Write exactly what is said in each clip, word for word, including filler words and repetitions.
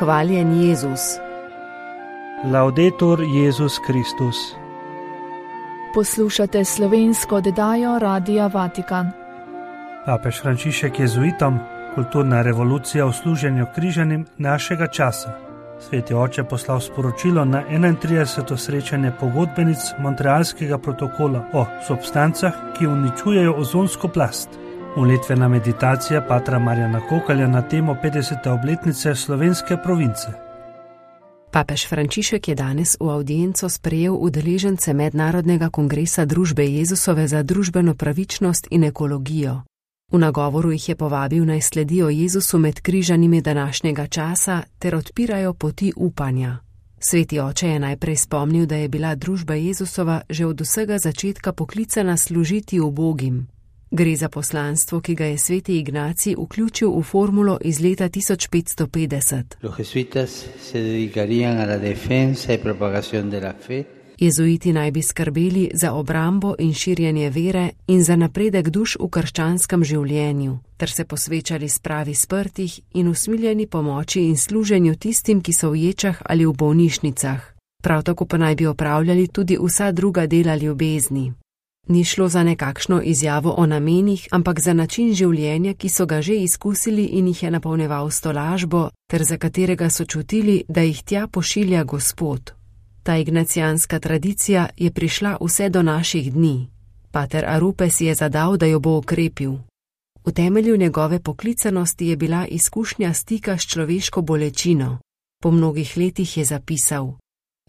Hvaljen Jezus. Laudetur Jezus Kristus. Poslušate slovensko oddajo Radia Vatikan. Papež Frančišek jezuitom, kulturna revolucija v služenju križanim našega časa. Sveti oče poslal sporočilo na enaintrideseto srečanje pogodbenic Montrealskega protokola o substancah, ki uničujejo ozonsko plast. Molitvena meditacija patra Marjana Kokalja na temo petdesete obletnice slovenske province. Papež Frančišek je danes v avdienco sprejel udeležence Mednarodnega kongresa Družbe Jezusove za družbeno pravičnost in ekologijo. V nagovoru jih je povabil naj sledijo Jezusu med križanimi današnjega časa ter odpirajo poti upanja. Sveti oče je najprej spomnil, da je bila družba Jezusova že od vsega začetka poklicana služiti ubogim. Gre za poslanstvo, ki ga je sveti Ignacij vključil v formulo iz leta tisoč petsto petdeset. Los jesuitas se dedicarían a la defensa y propagación de la fe. Jezuiti naj bi skrbeli za obrambo in širjenje vere in za napredek duš v krščanskem življenju, ter se posvečali spravi sprtih in usmiljeni pomoči in služenju tistim, ki so v ječah ali v bolnišnicah. Prav tako pa naj bi opravljali tudi vsa druga dela ljubezni. Ni šlo za nekakšno izjavo o namenih, ampak za način življenja, ki so ga že izkusili in jih je napolnjeval s tolažbo, ter za katerega so čutili, da jih tja pošilja Gospod. Ta ignacijanska tradicija je prišla vse do naših dni. Pater Arupe si je zadal, da jo bo okrepil. V temelju njegove poklicanosti je bila izkušnja stika s človeško bolečino. Po mnogih letih je zapisal: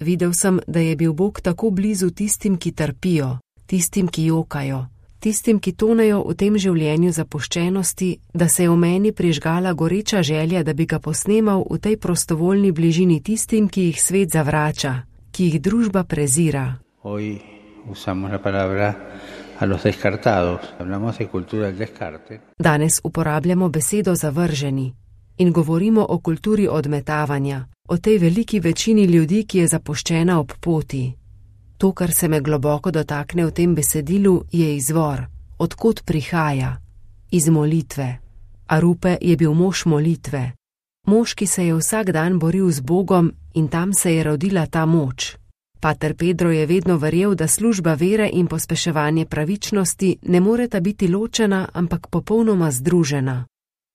Videl sem, da je bil Bog tako blizu tistim, ki trpijo, tistim, ki jokajo, tistim, ki tonejo v tem življenju zapuščenosti, da se je v meni prižgala goreča želja, da bi ga posnemal v tej prostovoljni bližini tistim, ki jih svet zavrača, ki jih družba prezira. Hoy usamos la palabra a los descartados. Hablamos de cultura del descarte. Danes uporabljamo besedo zavrženi in govorimo o kulturi odmetavanja, o tej veliki večini ljudi, ki je zapuščena ob poti. To, kar se me globoko dotakne v tem besedilu, je izvor, odkot prihaja, iz molitve. Arupe je bil mož molitve. Mož, ki se je vsak dan boril z Bogom in tam se je rodila ta moč. Pater Pedro je vedno verjel, da služba vere in pospeševanje pravičnosti ne moreta biti ločena, ampak popolnoma združena.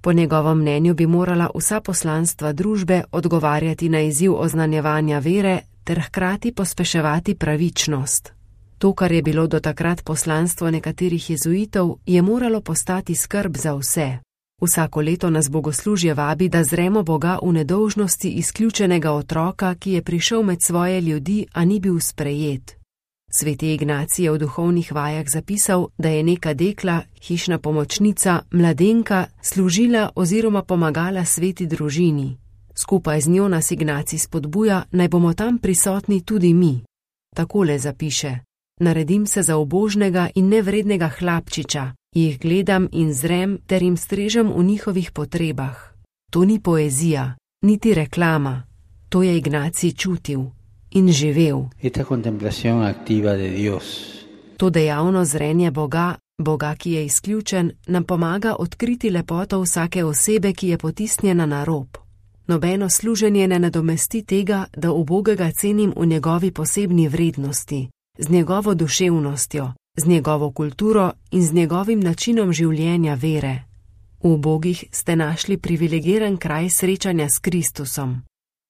Po njegovem mnenju bi morala vsa poslanstva družbe odgovarjati na izziv oznanjevanja vere ter hkrati pospeševati pravičnost. To, kar je bilo do takrat poslanstvo nekaterih jezuitov, je moralo postati skrb za vse. Vsako leto nas bogoslužje vabi, da zremo Boga v nedolžnosti izključenega otroka, ki je prišel med svoje ljudi, a ni bil sprejet. Sveti Ignacij je v duhovnih vajah zapisal, da je neka dekla, hišna pomočnica, mladenka, služila oziroma pomagala sveti družini. Skupaj z njo nas Ignacij spodbuja, naj bomo tam prisotni tudi mi. Takole zapiše: Naredim se za ubožnega in nevrednega hlapčiča, jih gledam in zrem ter jim strežem v njihovih potrebah. To ni poezija, niti reklama. To je Ignacij čutil in živel. Esta contemplación activa de Dios. To dejavno zrenje Boga, Boga, ki je izključen, nam pomaga odkriti lepoto vsake osebe, ki je potisnjena na rob. Nobeno služenje ne nadomesti tega, da ubogega cenim v njegovi posebni vrednosti, z njegovo duševnostjo, z njegovo kulturo in z njegovim načinom življenja vere. V ubogih ste našli privilegiran kraj srečanja s Kristusom.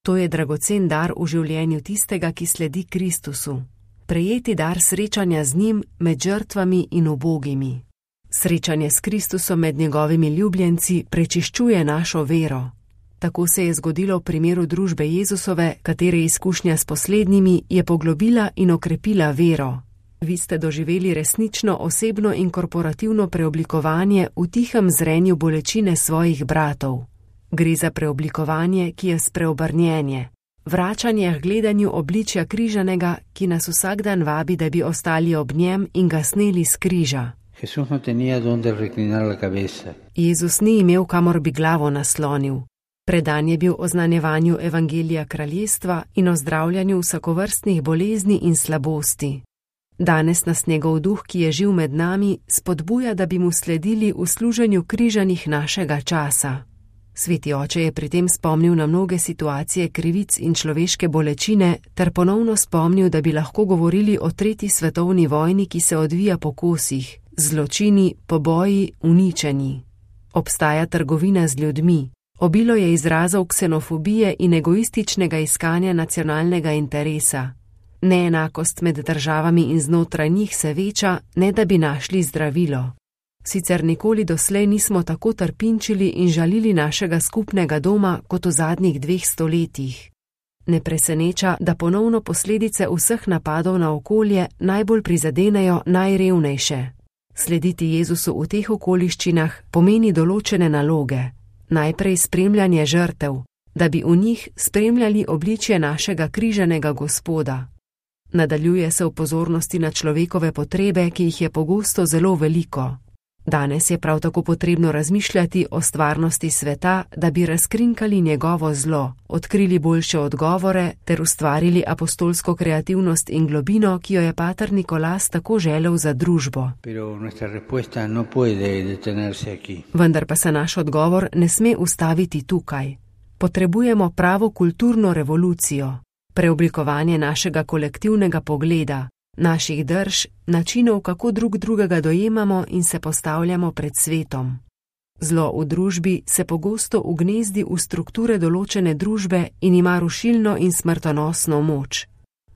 To je dragocen dar v življenju tistega, ki sledi Kristusu. Prejeti dar srečanja z njim med žrtvami in ubogimi. Srečanje s Kristusom med njegovimi ljubljenci prečiščuje našo vero. Tako se je zgodilo v primeru družbe Jezusove, katere izkušnja s poslednjimi je poglobila in okrepila vero. Vi ste doživeli resnično osebno in korporativno preoblikovanje v tihem zrenju bolečine svojih bratov. Gre za preoblikovanje, ki je spreobrnjenje, vračanje k gledanju obličja križanega, ki nas vsak dan vabi, da bi ostali ob njem in ga sneli s križa. Jesús no tenía donde reclinar la cabeza. Jezus ni imel, kamor bi glavo naslonil. Predan je bil oznanjevanju evangelija kraljestva in ozdravljanju vsakovrstnih bolezni in slabosti. Danes nas njegov duh, ki je živ med nami, spodbuja, da bi mu sledili v služenju križanih našega časa. Sveti oče je pri tem spomnil na mnoge situacije krivic in človeške bolečine ter ponovno spomnil, da bi lahko govorili o tretji svetovni vojni, ki se odvija po kosih, zločini, poboji, uničenji. Obstaja trgovina z ljudmi, obilo je izrazov ksenofobije in egoističnega iskanja nacionalnega interesa. Neenakost med državami in znotraj njih se veča, ne da bi našli zdravilo. Sicer nikoli doslej nismo tako trpinčili in žalili našega skupnega doma kot v zadnjih dveh stoletjih. Ne preseneča, da ponovno posledice vseh napadov na okolje najbolj prizadenejo najrevnejše. Slediti Jezusu v teh okoliščinah pomeni določene naloge. Najprej spremljanje žrtev, da bi v njih spremljali obličje našega križanega Gospoda. Nadaljuje se v pozornosti na človekove potrebe, ki jih je pogosto zelo veliko. Danes je prav tako potrebno razmišljati o stvarnosti sveta, da bi razkrinkali njegovo zlo, odkrili boljše odgovore ter ustvarili apostolsko kreativnost in globino, ki jo je pater Nikolas tako želel za družbo. No Vendar pa se naš odgovor ne sme ustaviti tukaj. Potrebujemo pravo kulturno revolucijo, preoblikovanje našega kolektivnega pogleda, naših drž, načinov, kako drug drugega dojemamo in se postavljamo pred svetom. Zlo v družbi se pogosto ugnezdi v strukture določene družbe in ima rušilno in smrtonosno moč.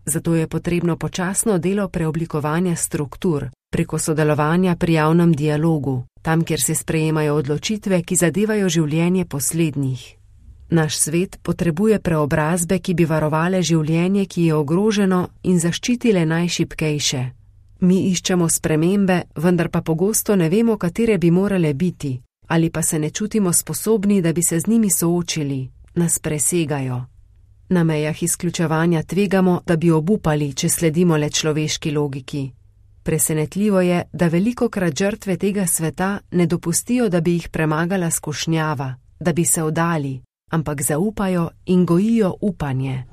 Zato je potrebno počasno delo preoblikovanja struktur, preko sodelovanja pri javnem dialogu, tam, kjer se sprejemajo odločitve, ki zadevajo življenje poslednjih. Naš svet potrebuje preobrazbe, ki bi varovale življenje, ki je ogroženo, in zaščitile najšibkejše. Mi iščemo spremembe, vendar pa pogosto ne vemo, katere bi morale biti, ali pa se ne čutimo sposobni, da bi se z njimi soočili, nas presegajo. Na mejah izključevanja tvegamo, da bi obupali, če sledimo le človeški logiki. Presenetljivo je, da velikokrat žrtve tega sveta ne dopustijo, da bi jih premagala skušnjava, da bi se oddali, ampak zaupajo in gojijo upanje.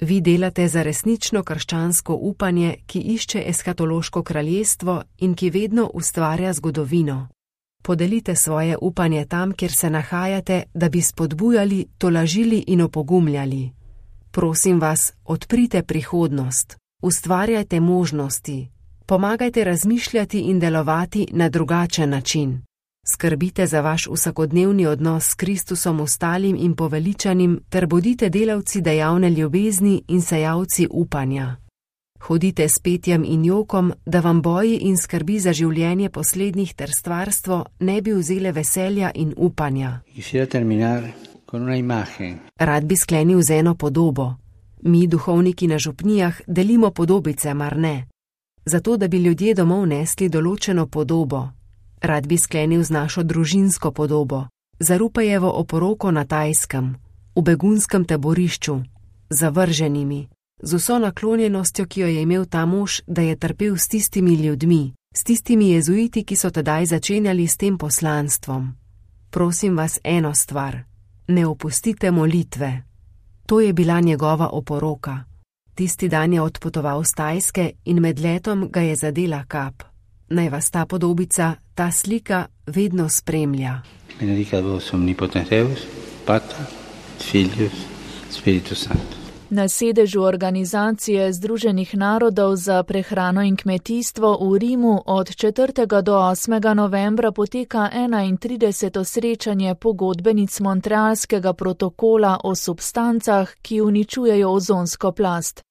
Vi delate za resnično krščansko upanje, ki išče eskatološko kraljestvo in ki vedno ustvarja zgodovino. Podelite svoje upanje tam, kjer se nahajate, da bi spodbujali, tolažili in opogumljali. Prosim vas, odprite prihodnost, ustvarjajte možnosti, pomagajte razmišljati in delovati na drugačen način. Skrbite za vaš vsakodnevni odnos s Kristusom ostalim in poveličanim ter bodite delavci dejavne ljubezni in sejalci upanja. Hodite s petjem in jokom, da vam boji in skrbi za življenje poslednjih ter stvarstvo ne bi vzele veselja in upanja. Rad bi sklenil z eno podobo. Mi, duhovniki na župnijah, delimo podobice, mar ne? Zato, da bi ljudje domov nesli določeno podobo. Rad bi sklenil z našo družinsko podobo, za Rupejevo oporoko na Tajskem, v begunskem taborišču, zavrženimi, z vso naklonjenostjo, ki jo je imel ta mož, da je trpel s tistimi ljudmi, s tistimi jezuiti, ki so tedaj začenjali s tem poslanstvom. Prosim vas eno stvar, ne opustite molitve. To je bila njegova oporoka. Tisti dan je odpotoval z Tajske in med letom ga je zadela kap. Naj vas ta podobica, ta slika vedno spremlja. Benedicat vos omnipotens Deus, Pater, Filius, Spiritus Sanctus. Na sedežu Organizacije Združenih narodov za prehrano in kmetijstvo v Rimu od četrtega do osmega novembra poteka enaintrideseto srečanje pogodbenic Montrealskega protokola o substancah, ki uničujejo ozonsko plast.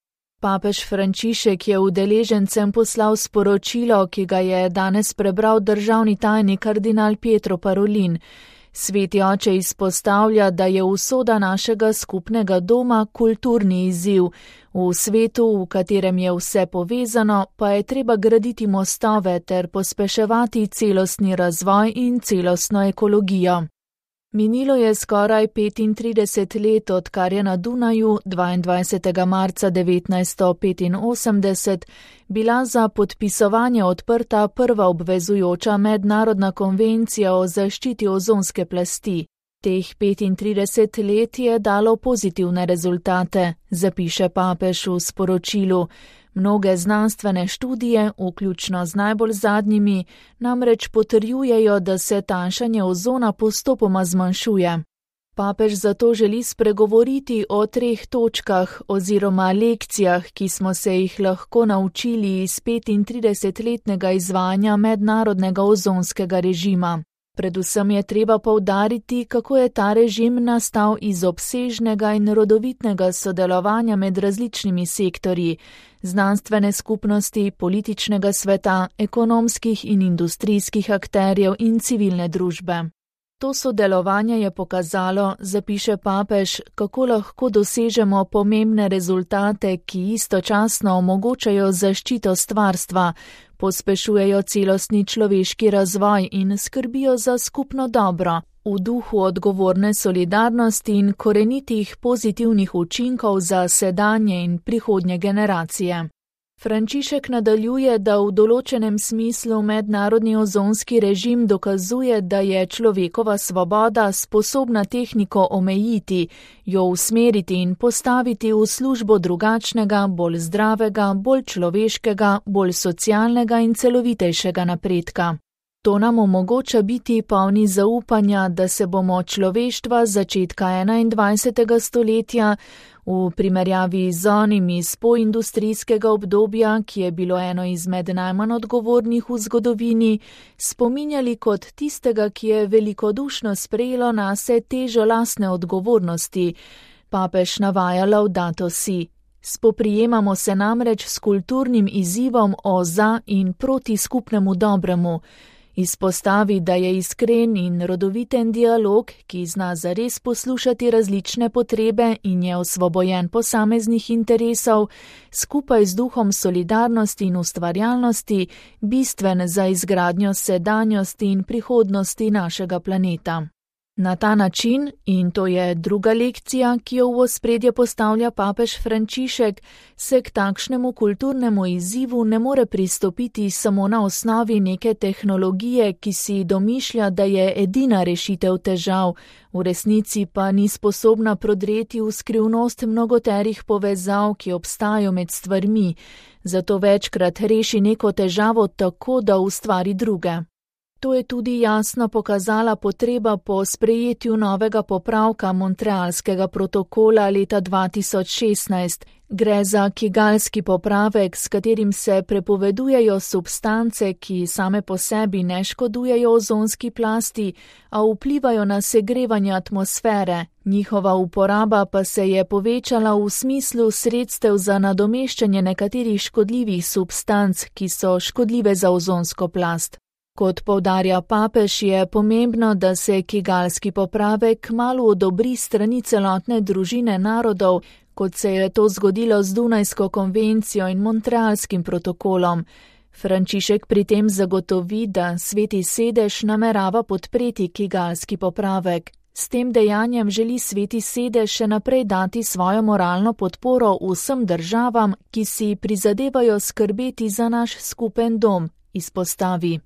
Papež Frančišek je udeležencem poslal sporočilo, ki ga je danes prebral državni tajnik kardinal Pietro Parolin. Sveti oče izpostavlja, da je usoda našega skupnega doma kulturni izziv. V svetu, v katerem je vse povezano, pa je treba graditi mostove ter pospeševati celostni razvoj in celostno ekologijo. Minilo je skoraj petintrideset let, odkar je na Dunaju dvaindvajsetega marca devetnajststo petinosemdeset bila za podpisovanje odprta prva obvezujoča mednarodna konvencija o zaščiti ozonske plasti. Teh petintrideset let je dalo pozitivne rezultate, zapiše papež v sporočilu. Mnoge znanstvene študije, vključno z najbolj zadnjimi, namreč potrjujejo, da se tanjšanje ozona postopoma zmanjšuje. Papež zato želi spregovoriti o treh točkah oziroma lekcijah, ki smo se jih lahko naučili iz petintridesetletnega izvajanja mednarodnega ozonskega režima. Predvsem je treba poudariti, kako je ta režim nastal iz obsežnega in rodovitnega sodelovanja med različnimi sektorji, znanstvene skupnosti, političnega sveta, ekonomskih in industrijskih akterjev in civilne družbe. To sodelovanje je pokazalo, zapiše papež, kako lahko dosežemo pomembne rezultate, ki istočasno omogočajo zaščito stvarstva, pospešujejo celostni človeški razvoj in skrbijo za skupno dobro, v duhu odgovorne solidarnosti in korenitih pozitivnih učinkov za sedanje in prihodnje generacije. Frančišek nadaljuje, da v določenem smislu mednarodni ozonski režim dokazuje, da je človekova svoboda sposobna tehniko omejiti, jo usmeriti in postaviti v službo drugačnega, bolj zdravega, bolj človeškega, bolj socialnega in celovitejšega napredka. To nam omogoča biti polni zaupanja, da se bomo človeštva začetka enaindvajsetega stoletja v primerjavi z onim iz poindustrijskega obdobja, ki je bilo eno izmed najmanj odgovornih v zgodovini, spominjali kot tistega, ki je velikodušno sprejelo nase težo lastne odgovornosti. Papež navaja Laudato si. Spoprijemamo se namreč s kulturnim izzivom o za in proti skupnemu dobremu. Izpostavi, da je iskren in rodoviten dialog, ki zna zares poslušati različne potrebe in je osvobojen posameznih interesov, skupaj z duhom solidarnosti in ustvarjalnosti, bistven za izgradnjo sedanjosti in prihodnosti našega planeta. Na ta način, in to je druga lekcija, ki jo v ospredje postavlja papež Frančišek, se k takšnemu kulturnemu izzivu ne more pristopiti samo na osnovi neke tehnologije, ki si domišlja, da je edina rešitev težav, v resnici pa ni sposobna prodreti v skrivnost mnogoterih povezav, ki obstajajo med stvarmi, zato večkrat reši neko težavo tako, da ustvari druge. To je tudi jasno pokazala potreba po sprejetju novega popravka Montrealskega protokola leta dva tisoč šestnajst. Gre za kigalski popravek, s katerim se prepovedujejo substance, ki same po sebi ne škodujejo ozonski plasti, a vplivajo na segrevanje atmosfere. Njihova uporaba pa se je povečala v smislu sredstev za nadomeščanje nekaterih škodljivih substanc, ki so škodljive za ozonsko plast. Kot poudarja papež, je pomembno, da se kigalski popravek kmalu odobri strani celotne družine narodov, kot se je to zgodilo z Dunajsko konvencijo in Montrealskim protokolom. Frančišek pri tem zagotovi, da Sveti sedež namerava podpreti kigalski popravek. S tem dejanjem želi Sveti sedež še naprej dati svojo moralno podporo vsem državam, ki si prizadevajo skrbeti za naš skupen dom, izpostavi.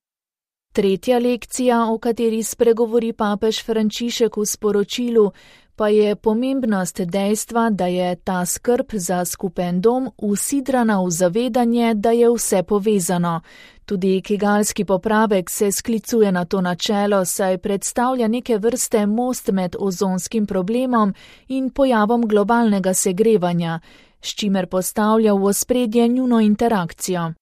Tretja lekcija, o kateri spregovori papež Frančišek v sporočilu, pa je pomembnost dejstva, da je ta skrb za skupen dom usidrana v zavedanje, da je vse povezano. Tudi kigalski popravek se sklicuje na to načelo, saj predstavlja neke vrste most med ozonskim problemom in pojavom globalnega segrevanja, s čimer postavlja v ospredje njuno interakcijo.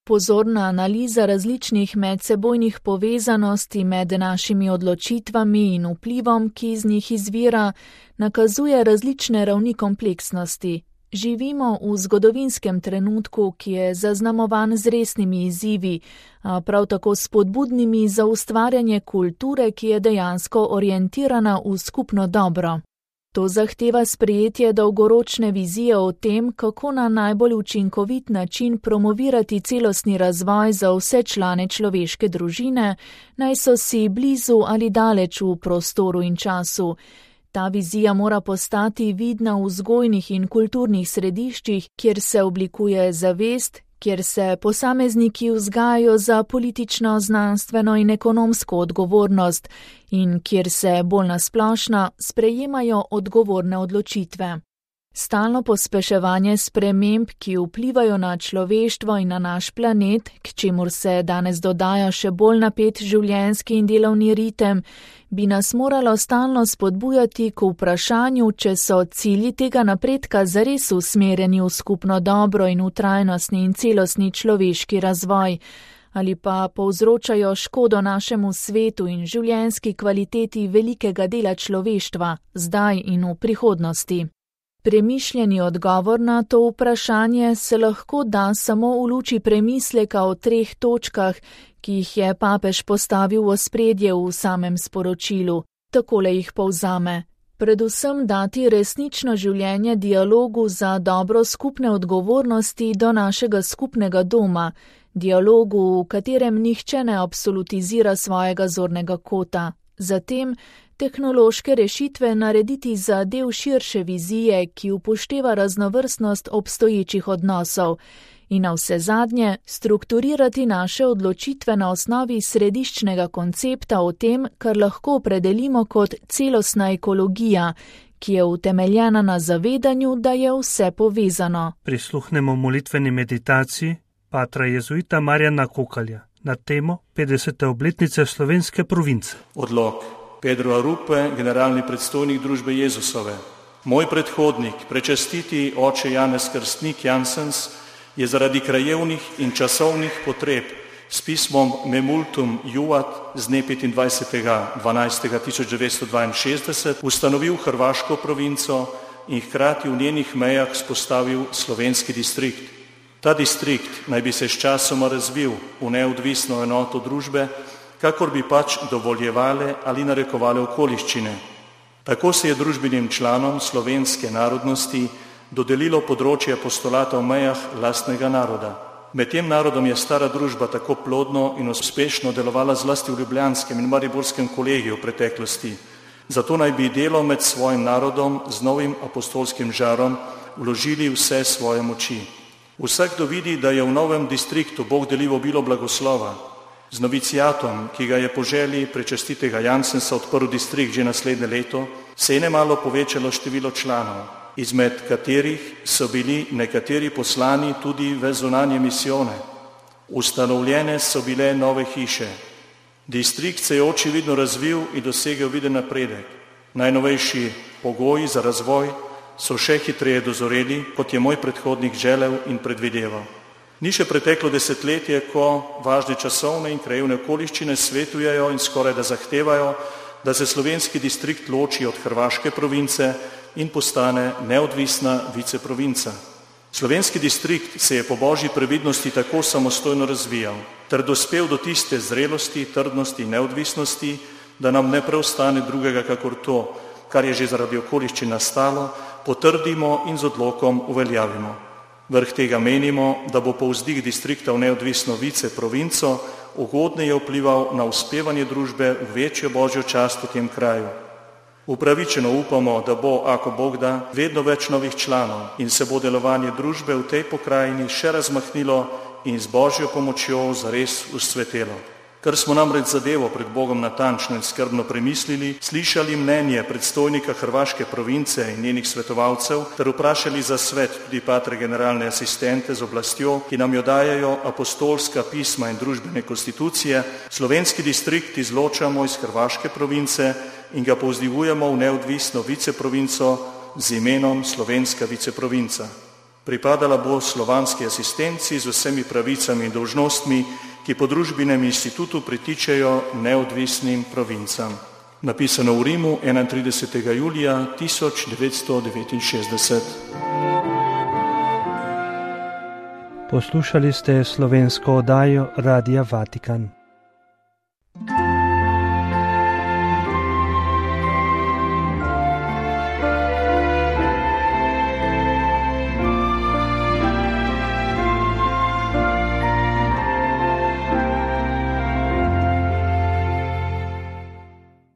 Pozorna analiza različnih medsebojnih povezanosti med našimi odločitvami in vplivom, ki iz njih izvira, nakazuje različne ravni kompleksnosti. Živimo v zgodovinskem trenutku, ki je zaznamovan z resnimi izzivi, a prav tako spodbudnimi za ustvarjanje kulture, ki je dejansko orientirana v skupno dobro. To zahteva sprejetje dolgoročne vizije o tem, kako na najbolj učinkovit način promovirati celostni razvoj za vse člane človeške družine, naj so si blizu ali daleč v prostoru in času. Ta vizija mora postati vidna v vzgojnih in kulturnih središčih, kjer se oblikuje zavest, kjer se posamezniki vzgajajo za politično, znanstveno in ekonomsko odgovornost in kjer se bolj nasplošno sprejemajo odgovorne odločitve. Stalno pospeševanje sprememb, ki vplivajo na človeštvo in na naš planet, k čemur se danes dodaja še bolj napet življenjski in delovni ritem, bi nas moralo stalno spodbujati k vprašanju, če so cilji tega napredka zares usmerjeni v skupno dobro in v trajnostni in celostni človeški razvoj, ali pa povzročajo škodo našemu svetu in življenjski kvaliteti velikega dela človeštva, zdaj in v prihodnosti. Premišljeni odgovor na to vprašanje se lahko da samo v luči premisleka o treh točkah, ki jih je papež postavil v ospredje v samem sporočilu. Takole jih povzame. Predvsem dati resnično življenje dialogu za dobro skupne odgovornosti do našega skupnega doma, dialogu, v katerem nihče ne absolutizira svojega zornega kota. Zatem tehnološke rešitve narediti za del širše vizije, ki upošteva raznovrstnost obstoječih odnosov, in navsezadnje strukturirati naše odločitve na osnovi središčnega koncepta o tem, kar lahko opredelimo kot celostna ekologija, ki je utemeljena na zavedanju, da je vse povezano. Prisluhnemo molitveni meditaciji patra jezuita Marjana Kokalja na temo petdesete obletnice slovenske province. Odlok. Pedro Arupe, generalni predstojnik družbe Jezusove. Moj predhodnik, prečastiti oče Janez Krstnik Jansens, je zaradi krajevnih in časovnih potreb s pismom Memultum Juvat z dne petindvajsetega dvanajstega tisoč devetsto dvainšestdeset ustanovil hrvaško provinco in hkrati v njenih mejah vzpostavil slovenski distrikt. Ta distrikt naj bi se sčasoma razvil v neodvisno enoto družbe, kakor bi pač dovoljevale ali narekovale okoliščine. Tako se je družbenim članom slovenske narodnosti dodelilo področje apostolata v mejah lastnega naroda. Med tem narodom je stara družba tako plodno in uspešno delovala zlasti v ljubljanskem in mariborskem kolegiju v preteklosti. Zato naj bi delo med svojim narodom z novim apostolskim žarom vložili vse svoje moči. Vsakdo vidi, da je v novem distriktu Bog delil obilo blagoslova. Z noviciatom, ki ga je po želji prečastitega Jansensa odprl distrikt že naslednje leto, se je nemalo povečalo število članov, izmed katerih so bili nekateri poslani tudi v zunanje misijone. Ustanovljene so bile nove hiše. Distrikt se je očividno razvil in dosegel viden napredek. Najnovejši pogoji za razvoj so še hitreje dozoreli, kot je moj predhodnik želel in predvideval. Ni še preteklo desetletje, ko važne časovne in krajevne okoliščine svetujejo in skoraj da zahtevajo, da se slovenski distrikt loči od hrvaške province in postane neodvisna viceprovinca. Slovenski distrikt se je po božji previdnosti tako samostojno razvijal, ter dospel do tiste zrelosti, trdnosti in neodvisnosti, da nam ne preostane drugega kakor to, kar je že zaradi okoliščin nastalo, potrdimo in z odlokom uveljavimo. Vrh tega menimo, da bo povzdih distrikta v neodvisno viceprovinco ugodneje vplival na uspevanje družbe v večjo božjo čast v tem kraju. Upravičeno upamo, da bo, ako Bog da, vedno več novih članov in se bo delovanje družbe v tej pokrajini še razmahnilo in z božjo pomočjo zares usvetelo. Ker smo namreč zadevo pred Bogom natančno in skrbno premislili, slišali mnenje predstojnika hrvaške province in njenih svetovalcev ter vprašali za svet tudi patre generalne asistente z oblastjo, ki nam jo dajajo apostolska pisma in družbene konstitucije, slovenski distrikt izločamo iz hrvaške province in ga povzdigujemo v neodvisno viceprovinco z imenom slovenska viceprovinca. Pripadala bo slovanski asistenci z vsemi pravicami in dolžnostmi, ki po družbenem institutu pritičejo neodvisnim provincam. Napisano v Rimu enaintridesetega julija tisoč devetsto devetinšestdeset. Poslušali ste slovensko oddajo Radia Vatikan.